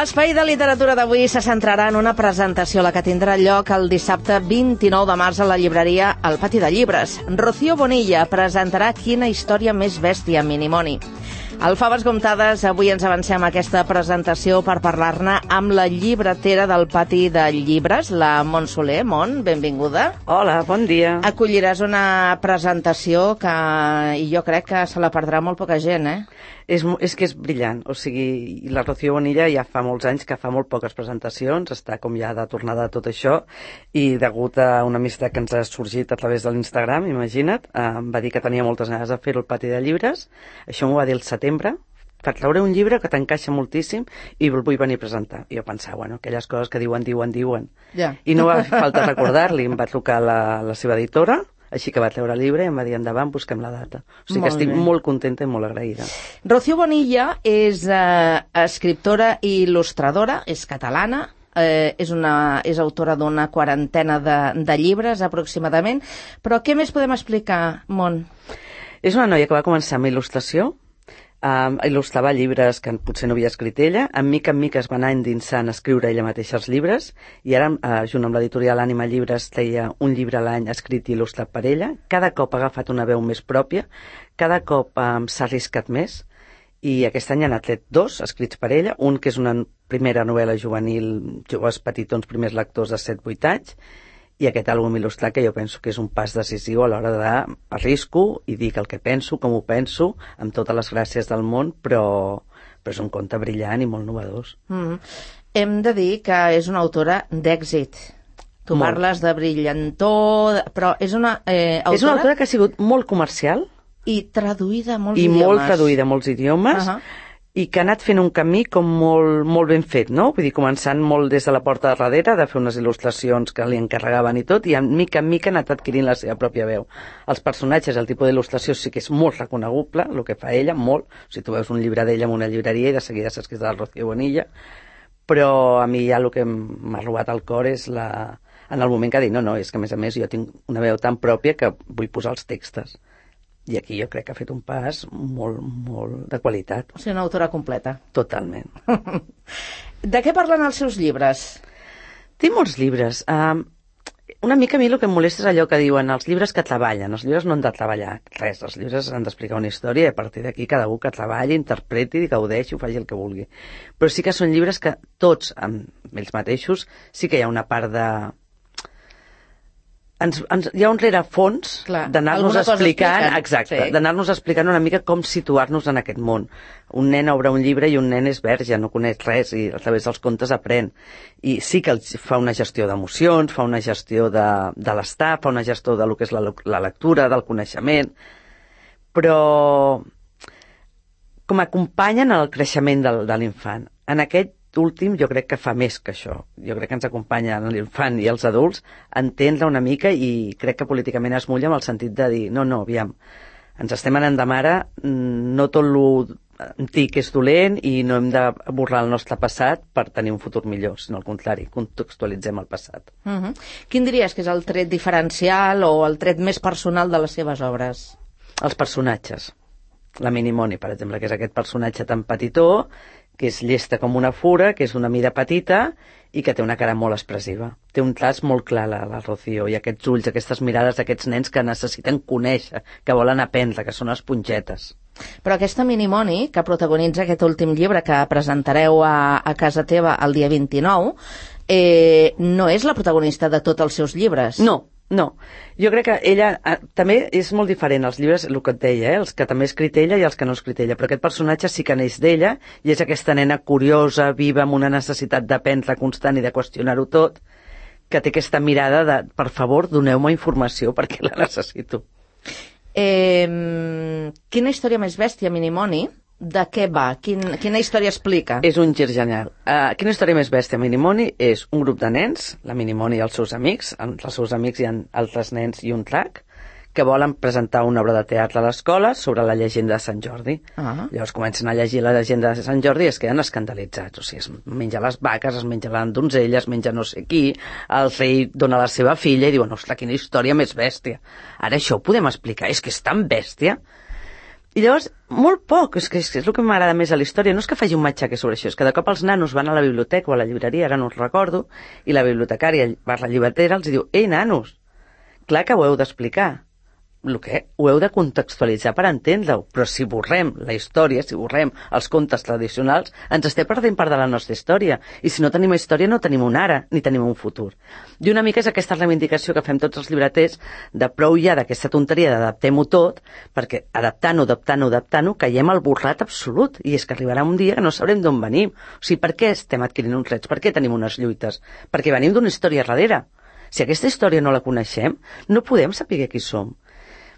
L'espai de literatura d'avui se centrarà en una presentació, la que tindrà lloc el dissabte 29 de març a la llibreria El Pati de Llibres. Rocío Bonilla presentarà Quina història més bèstia, Minimoni. Al Faves Comptades, avui ens avancem a aquesta presentació per parlar-ne amb la llibretera del Pati de Llibres, la Mont Soler. Mont, benvinguda. Hola, bon dia. Acolliràs una presentació que jo crec que se la perdrà molt poca gent, eh? És que és brillant, o sigui, la Rocío Bonilla ja fa molts anys que fa molt poques presentacions, està com ja de tornada de tot això, i degut a una amistat que ens ha sorgit a través de l'Instagram, imagina't, em va dir que tenia moltes ganes de fer-ho al Pati de Llibres. Això m'ho va dir el setembre, per treure un llibre que t'encaixa moltíssim i el vull venir a presentar. I jo pensava, bueno, aquelles coses que diuen. Ja. I no va fer falta recordar-li, em va trucar la seva editora, així que va treure el llibre i em va dir, endavant, busquem la data. O sigui que estic molt contenta i molt agraïda. Rocío Bonilla és escriptora i il·lustradora, és catalana, és autora d'una quarantena de llibres, aproximadament. Però què més podem explicar, Mont? És una noia que va començar amb il·lustració, il·lustrava llibres que potser no havia escrit ella, en mica es va anar endinsant a escriure ella mateixa els llibres, i ara, junt amb l'editorial Ànima Llibres, treia un llibre a l'any escrit i il·lustrat per ella. Cada cop ha agafat una veu més pròpia, cada cop s'ha arriscat més, i aquest any n'ha tret 2 escrits per ella, un que és una primera novel·la juvenil, joves petitons, primers lectors de 7-8 anys, i aquest àlbum il·lustrat que jo penso que és un pas decisiu a l'hora d'arrisco i dic el que penso, com ho penso, amb totes les gràcies del món, però és un conte brillant i molt novedós. Hem de dir que és una autora d'èxit. Tu parles de brillantor, però és una autora... És una autora que ha sigut molt comercial. I traduïda a molts idiomes. I molt traduïda a molts idiomes. I que ha anat fent un camí com molt ben fet, no? Vull dir, començant molt des de la porta de darrere, de fer unes il·lustracions que li encarregaven i tot, i en mica en mica ha anat adquirint la seva pròpia veu. Els personatges, el tipus d'il·lustració sí que és molt reconeguble, el que fa ella, molt. O sigui, tu veus un llibre d'ella en una llibreria i de seguida saps que és de la Rocío Bonilla, però a mi ja el que m'ha robat el cor és en el moment que ha dit, no, és que a més jo tinc una veu tan pròpia que vull posar els textos. I aquí jo crec que ha fet un pas molt de qualitat. O sigui, una autora completa. Totalment. De què parlen els seus llibres? Té molts llibres. Una mica a mi el que em molesta és allò que diuen els llibres que treballen. Els llibres no han de treballar res. Els llibres han d'explicar una història i a partir d'aquí cada un que treballi, interpreti, gaudeixi, faci el que vulgui. Però sí que són llibres que tots, amb ells mateixos, sí que hi ha una part de... hi ha un rerefons d'anar-nos explicant, exacte, d'anar-nos explicant una mica com situar-nos en aquest món. Un nen obre un llibre i un nen és verge, no coneix res i a través dels contes aprèn. I sí que fa una gestió d'emocions, fa una gestió de l'estar, fa una gestió de lo que és la lectura, del coneixement, però com acompanyen el creixement de l'infant. En aquest últim jo crec que fa més que això. Jo crec que ens acompanya l'infant i els adults a entendre una mica i crec que políticament es mulla amb el sentit de dir no, aviam, ens estem anant de mare, no tot lo antic és dolent i no hem de burlar el nostre passat per tenir un futur millor, sinó al contrari, contextualitzem el passat. Quin diries que és el tret diferencial o el tret més personal de les seves obres? Els personatges. La Minimoni, per exemple, que és aquest personatge tan petitó, que és llesta com una fura, que és d'una mida petita i que té una cara molt expressiva. Té un traç molt clar, la Rocío, i aquests ulls, aquestes mirades d'aquests nens que necessiten conèixer, que volen aprendre, que són espongetes. Però aquesta Minimoni, que protagonitza aquest últim llibre que presentareu a casa teva el dia 29, no és la protagonista de tots els seus llibres. No, jo crec que ella també és molt diferent, els llibres, el que et deia, els que també ha escrit ella i els que no ha escrit ella, però aquest personatge sí que neix d'ella i és aquesta nena curiosa, viva, amb una necessitat d'aprendre constant i de qüestionar-ho tot, que té aquesta mirada de, per favor, doneu-me informació perquè la necessito. Quina història més bèstia, Minimoni? De què va? Quina història explica? És un gir genial. Quina història més bèstia, Minimoni? És un grup de nens, la Minimoni i els seus amics. Entre els seus amics hi ha altres nens i un drac, que volen presentar una obra de teatre a l'escola sobre la llegenda de Sant Jordi. Llavors comencen a llegir la llegenda de Sant Jordi i es queden escandalitzats. O sigui, es menja les vaques, es menja la donzella, es menja no sé qui, el rei dona la seva filla i diuen, ostres, quina història més bèstia. Ara això ho podem explicar, és que és tan bèstia. I llavors, molt poc, és el que m'agrada més a la història, no és que faci un matxaque sobre això, és que de cop els nanos van a la biblioteca o a la llibreria, ara no us recordo, i la bibliotecària, la llibretera, els diu, ei, nanos, clar que ho heu d'explicar. Ho heu de contextualitzar per entendre-ho, però si borrem la història, si borrem els contes tradicionals, ens estem perdent part de la nostra història. I si no tenim història, no tenim un ara, ni tenim un futur. I una mica és aquesta reivindicació que fem tots els llibreters de prou ja d'aquesta tonteria d'adaptem-ho tot, perquè adaptant-ho, caiem al burlat absolut. I és que arribarà un dia que no sabrem d'on venim. O sigui, per què estem adquirint uns drets? Per què tenim unes lluites? Perquè venim d'una història darrere. Si aquesta història no la coneixem, no podem saber qui som.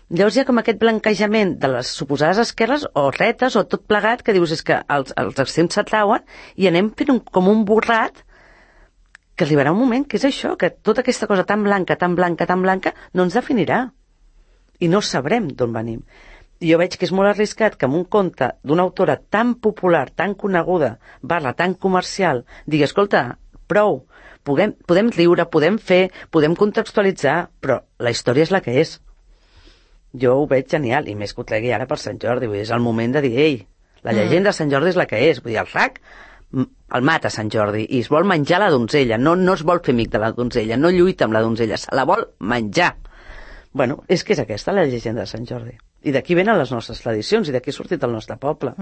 Llavors hi ha com aquest blanquejament de les suposades esquerres o retes o tot plegat que dius és que els extrems s'atrauen i anem fent com un borrat que arribarà un moment que és això, que tota aquesta cosa tan blanca no ens definirà i no sabrem d'on venim. I jo veig que és molt arriscat que amb un conte d'una autora tan popular, tan coneguda, tan comercial, digui, escolta, prou, podem riure, podem fer, podem contextualitzar, però la història és la que és. Jo ho veig genial, i més que ho tregui ara per Sant Jordi, vull dir, és el moment de dir, ei, la llegenda de Sant Jordi és la que és, vull dir, el RAC el mata Sant Jordi i es vol menjar la donzella, no es vol fer amic de la donzella, no lluita amb la donzella, se la vol menjar. Bueno, és que és aquesta la llegenda de Sant Jordi. I d'aquí venen les nostres tradicions, i d'aquí ha sortit el nostre poble.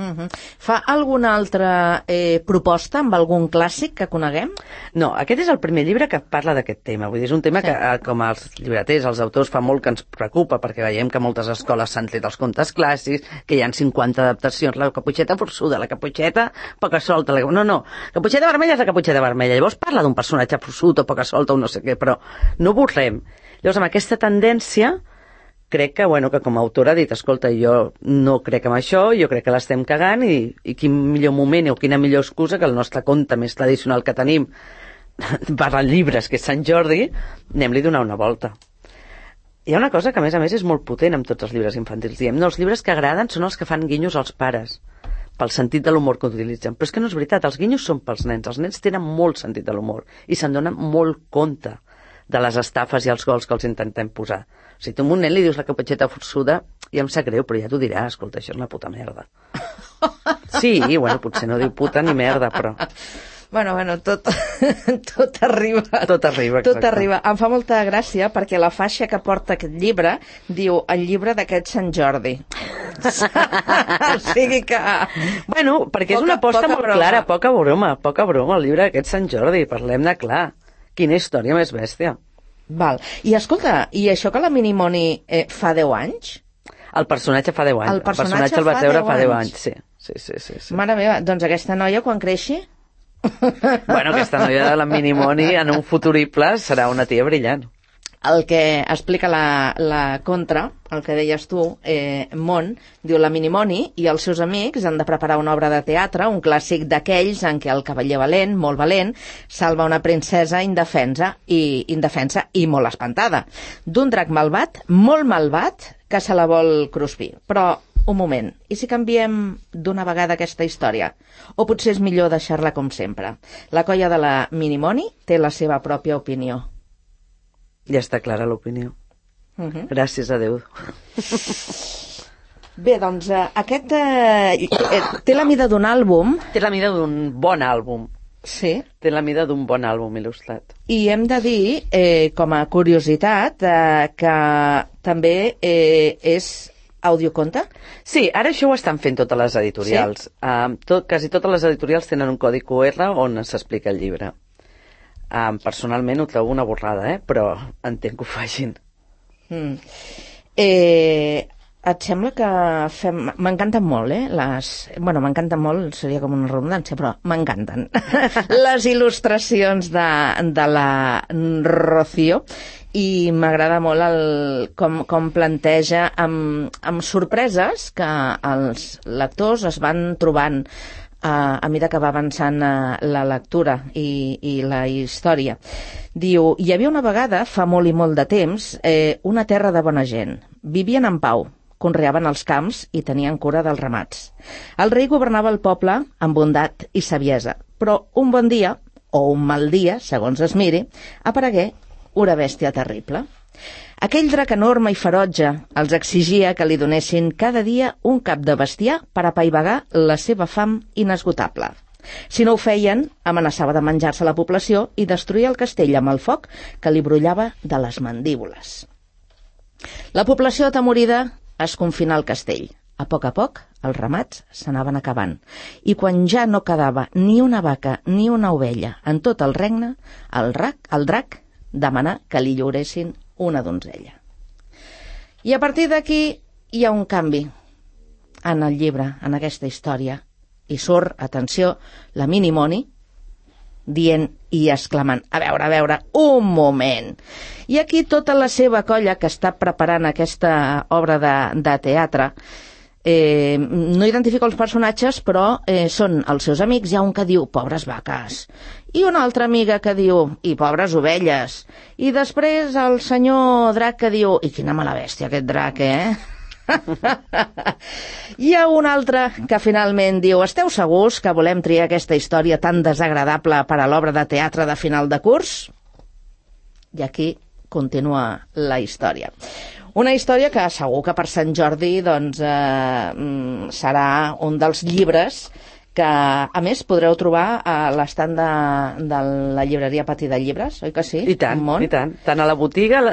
Fa alguna altra proposta amb algun clàssic que coneguem? No, aquest és el primer llibre que parla d'aquest tema. Vull dir, és un tema que, com els llibreters, els autors, fa molt que ens preocupa, perquè veiem que moltes escoles s'han tret els contes clàssics, que hi ha 50 adaptacions, la caputxeta forçuda, la caputxeta poca solta... No, caputxeta vermella és la caputxeta vermella. Llavors parla d'un personatge forçut o poca solta o no sé què, però no borrem. Llavors, amb aquesta tendència, crec que com a autora ha dit, escolta, jo no crec en això, jo crec que l'estem cagant i quin millor moment o quina millor excusa que el nostre conte més tradicional que tenim per llibres, que és Sant Jordi, anem-li a donar una volta. Hi ha una cosa que a més és molt potent amb tots els llibres infantils. Diem, no, els llibres que agraden són els que fan guinyos als pares, pel sentit de l'humor que utilitzen. Però és que no és veritat, els guinyos són pels nens. Els nens tenen molt sentit de l'humor i se'n donen molt compte de les estafes i els gols que els intentem posar. Si tu a un nen li dius la caputxeta forçuda, ja em sap greu, però ja t'ho dirà, escolta, això és una puta merda. Sí, potser no diu puta ni merda, però... Bueno, tot arriba. Tot arriba, exacte. Tot arriba. Em fa molta gràcia perquè la faixa que porta aquest llibre diu el llibre d'aquest Sant Jordi. O sigui que... perquè és una aposta molt clara, poca broma, el llibre d'aquest Sant Jordi, parlem-ne clar. Quina història més bèstia. Val. I escolta, i això que la Minimoni fa 10 anys? El personatge fa 10 anys. El personatge el vas veure fa 10 anys, sí. Mare meva, doncs aquesta noia quan creixi? Aquesta noia de la Minimoni en un futurible serà una tia brillant. El que explica la contra, el que deies tu, Mont, diu la Minimoni i els seus amics han de preparar una obra de teatre, un clàssic d'aquells en què el cavaller valent, molt valent, salva una princesa indefensa i molt espantada, d'un drac malvat, molt malvat, que se la vol cruspir. Però, un moment, i si canviem d'una vegada aquesta història? O potser és millor deixar-la com sempre? La colla de la Minimoni té la seva pròpia opinió. Ja està clara l'opinió. Gràcies a Déu. Bé, doncs aquest té la mida d'un àlbum. Té la mida d'un bon àlbum. Sí. Té la mida d'un bon àlbum il·lustrat. I hem de dir, com a curiositat, que també és audioconte? Sí, ara això ho estan fent totes les editorials. Sí? Quasi totes les editorials tenen un codi QR on s'explica el llibre. Personalment ho trobo una borrada, però entenc que ho facin. Et sembla que fem... M'encanten molt, m'encanten molt, seria com una redundància, però m'encanten les il·lustracions de la Rocío i m'agrada molt com planteja amb sorpreses que els lectors es van trobant a mesura que va avançant la lectura i la història. Diu, hi havia una vegada, fa molt i molt de temps, una terra de bona gent. Vivien en pau, conreaven els camps i tenien cura dels ramats. El rei governava el poble amb bondat i saviesa, però un bon dia, o un mal dia, segons es miri, aparegué una bèstia terrible. Aquell drac enorme i ferotge els exigia que li donessin cada dia un cap de bestiar per apaivagar la seva fam inesgotable. Si no ho feien, amenaçava de menjar-se la població i destruir el castell amb el foc que li brollava de les mandíbules. La població atemorida es confinà al castell. A poc, els ramats s'anaven acabant, i quan ja no quedava ni una vaca ni una ovella en tot el regne, el drac demanà que li lliuressin una donzella. I a partir d'aquí hi ha un canvi en el llibre, en aquesta història, i surt, atenció, la Minimoni dient i exclamant, a veure, un moment. I aquí tota la seva colla que està preparant aquesta obra de teatre, no identifica els personatges, però són els seus amics. Hi ha un que diu, pobres vaques, i una altra amiga que diu, i pobres ovelles, i després el senyor drac que diu, i quina mala bèstia aquest drac, Hi ha un altre que finalment diu, esteu segurs que volem triar aquesta història tan desagradable per a l'obra de teatre de final de curs? I aquí continua la història. Una història que segur que per Sant Jordi doncs, serà un dels llibres que, a més, podreu trobar a l'estand de la llibreria Patí de Llibres, oi que sí? I tant, i tant. Tant a la botiga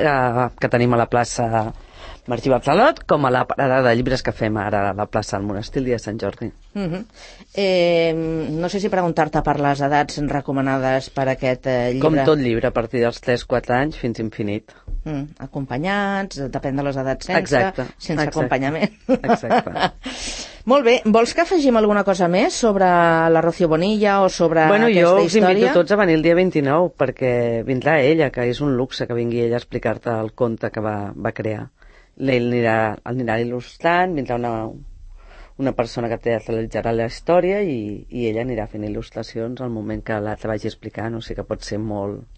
que tenim a la plaça Martí Barcelot, com a la parada de llibres que fem ara a la plaça del Monestir el dia de Sant Jordi. No sé si preguntar-te per les edats recomanades per aquest llibre. Com tot llibre, a partir dels 3-4 anys fins infinit. Acompanyats, depèn de les edats sense acompanyament. Exacte. Molt bé, vols que afegim alguna cosa més sobre la Rocío Bonilla o sobre aquesta història? Jo us invito tots a venir el dia 29, perquè vindrà ella, que és un luxe que vingui ella a explicar-te el conte que va crear. Ell anirà il·lustrant, vindrà una persona que teatralitzarà la història i ella anirà fent il·lustracions al moment que l'altre vagi explicant, o sigui que pot ser molt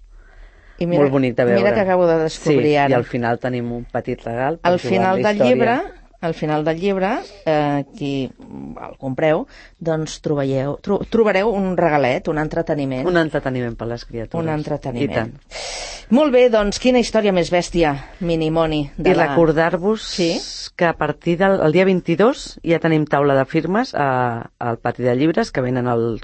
bonic de veure. Mira que acabo de descobrir ara. I al final tenim un petit regal per jugar amb la història. Al final del llibre, qui el compreu, doncs trobareu un regalet, un entreteniment. Un entreteniment per les criatures. Un entreteniment. Molt bé, doncs, quina història més bèstia, Minimoni. I recordar-vos que a partir del dia 22 ja tenim taula de firmes al Patí de Llibres, que venen el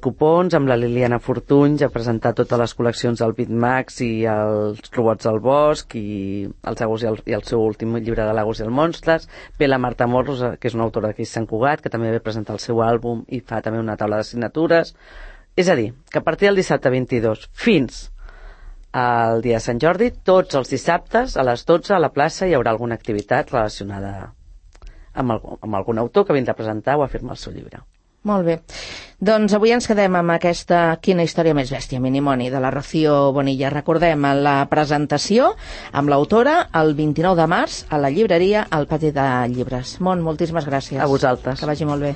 Cupons amb la Liliana Fortunys a presentar totes les col·leccions del Bitmax i els robots del bosc i el seu últim llibre de Lagos i els monstres. Ve la Marta Morros, que és una autora d'aquí Sant Cugat, que també ve presentar el seu àlbum i fa també una taula de signatures. És a dir, que a partir del dissabte 22 fins al dia de Sant Jordi, tots els dissabtes a les 12 a la plaça hi haurà alguna activitat relacionada amb algun autor que vindrà a presentar o a firmar el seu llibre. Molt bé. Doncs avui ens quedem amb aquesta Quina història més bèstia, Minimoni, de la Rocío Bonilla. Recordem la presentació amb l'autora el 29 de març a la llibreria al Patí de Llibres. Moltíssimes gràcies. A vosaltres. Que vagi molt bé.